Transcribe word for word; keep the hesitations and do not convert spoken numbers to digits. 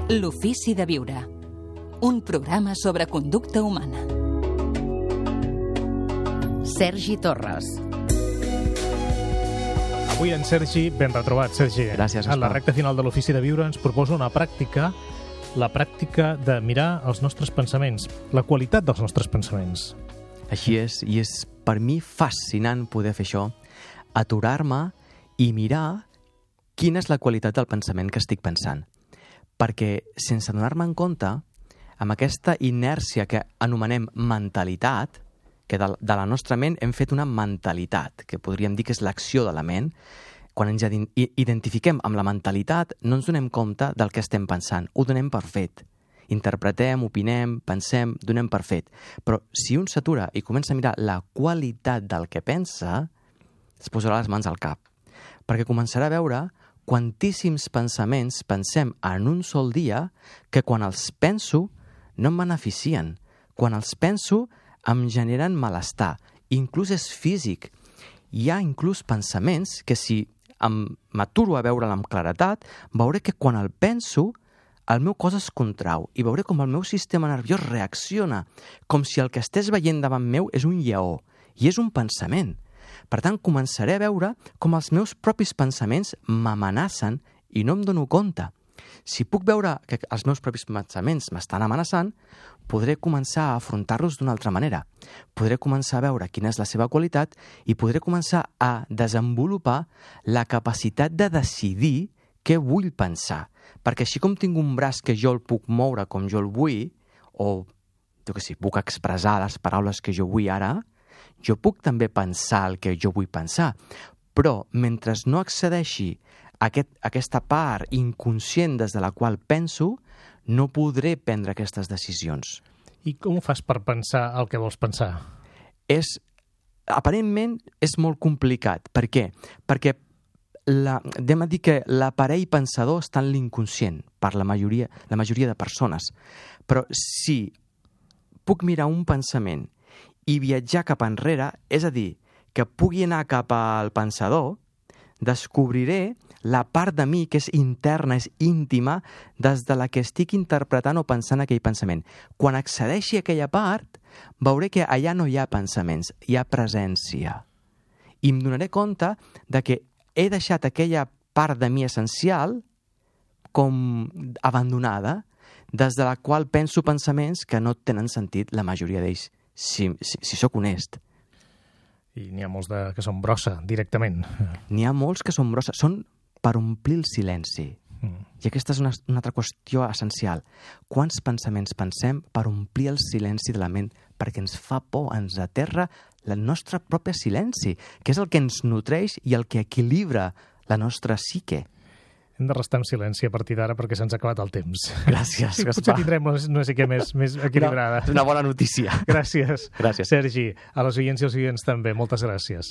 L'ofici de viure. Un programa sobre conducta humana. Sergi Torres. Avui en Sergi, ben retrobat, Sergi. Gràcies, En la Gaspar. recta final de l'Ofici de Viure ens proposa una pràctica, la pràctica de mirar els nostres pensaments, la qualitat dels nostres pensaments. Així és, i és per mi fascinant poder fer això, aturar-me i mirar quina és la qualitat del pensament que estic pensant. Perquè, sense donar-me en compte, amb aquesta inèrcia que anomenem mentalitat, que de, de la nostra ment hem fet una mentalitat, que podríem dir que és l'acció de la ment, quan ens identifiquem amb la mentalitat no ens donem compte del que estem pensant, ho donem per fet. Interpretem, opinem, pensem, donem per fet. Però si un s'atura i comença a mirar la qualitat del que pensa, es posarà les mans al cap. Perquè començarà a veure quantíssims pensaments pensem en un sol dia que quan els penso no em beneficien. Quan els penso em generen malestar. Inclús és físic. Hi ha inclús pensaments que si m'aturo a veure'l amb claretat, veuré que quan el penso el meu cos es contrau i veuré com el meu sistema nerviós reacciona, com si el que estés veient davant meu és un lleó, i és un pensament. Per tant, començaré a veure com els meus propis pensaments m'amenacen i no em dono compte. Si puc veure que els meus propis pensaments m'estan amenaçant, podré començar a afrontar-los d'una altra manera. Podré començar a veure quina és la seva qualitat i podré començar a desenvolupar la capacitat de decidir què vull pensar. Perquè així com tinc un braç que jo el puc moure com jo el vull, o jo què sé, puc expressar les paraules que jo vull ara, jo puc també pensar el que jo vull pensar. Però mentre no accedeixi a aquest, aquesta part inconscient des de la qual penso, no podré prendre aquestes decisions. I com ho fas per pensar el que vols pensar? És, aparentment és molt complicat. Per què? Perquè la, anem a dir que l'aparell pensador està en l'inconscient per la majoria, la majoria de persones. Però si puc mirar un pensament i viatjar cap enrere, és a dir, que pugui anar cap al pensador, descobriré la part de mi que és interna, és íntima, des de la que estic interpretant o pensant aquell pensament. Quan accedeixi a aquella part, veuré que allà no hi ha pensaments, hi ha presència. I em donaré compte de que he deixat aquella part de mi essencial com abandonada, des de la qual penso pensaments que no tenen sentit, la majoria d'ells, si, si, si sóc honest. I n'hi ha molts de, que són brossa, directament. N'hi ha molts que són brossa, són per omplir el silenci. Mm. I aquesta és una, una altra qüestió essencial. Quants pensaments pensem per omplir el silenci de la ment? Perquè ens fa por, ens aterra el nostre propi silenci, que és el que ens nutreix i el que equilibra la nostra psique. Hem de restar en silenci a partir d'ara perquè se'ns ha acabat el temps. Gràcies, Gaspar. Potser tindrem una, no sé què més, més equilibrada. Una, una bona notícia. Gràcies. Gràcies. Sergi, a les oients i als oients també, moltes gràcies.